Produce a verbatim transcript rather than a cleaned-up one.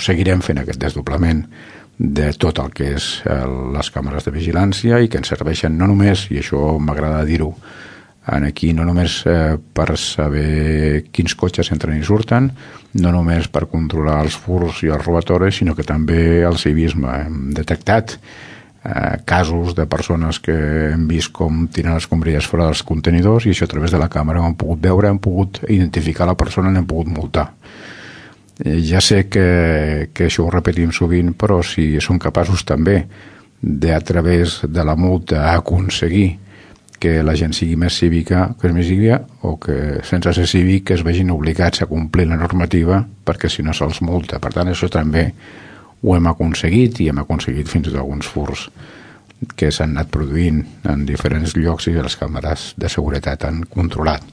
seguirem fent aquest desdoblament de tot el que és les càmeres de vigilància i que ens serveixen no només, i això m'agrada dir-ho aquí, no només per saber quins cotxes entren i surten, no només per controlar els furs i els robatoris, sinó que també el civisme. Hem detectat Eh, casos de persones que hem vist com tiren les escombraries fora dels contenidors i això a través de la càmera ho hem pogut veure, hem pogut identificar la persona i l'hem pogut multar. Eh, ja sé que, que això ho repetim sovint, però si som capaços també de, a través de la multa, aconseguir que la gent sigui més cívica, que és més cívica, o que sense ser cívic que es vegin obligats a complir la normativa perquè si no se'ls multa. Per tant, això també ho hem aconseguit i hem aconseguit fins i tot alguns furs que s'han anat produint en diferents llocs i les càmeres de seguretat han controlat.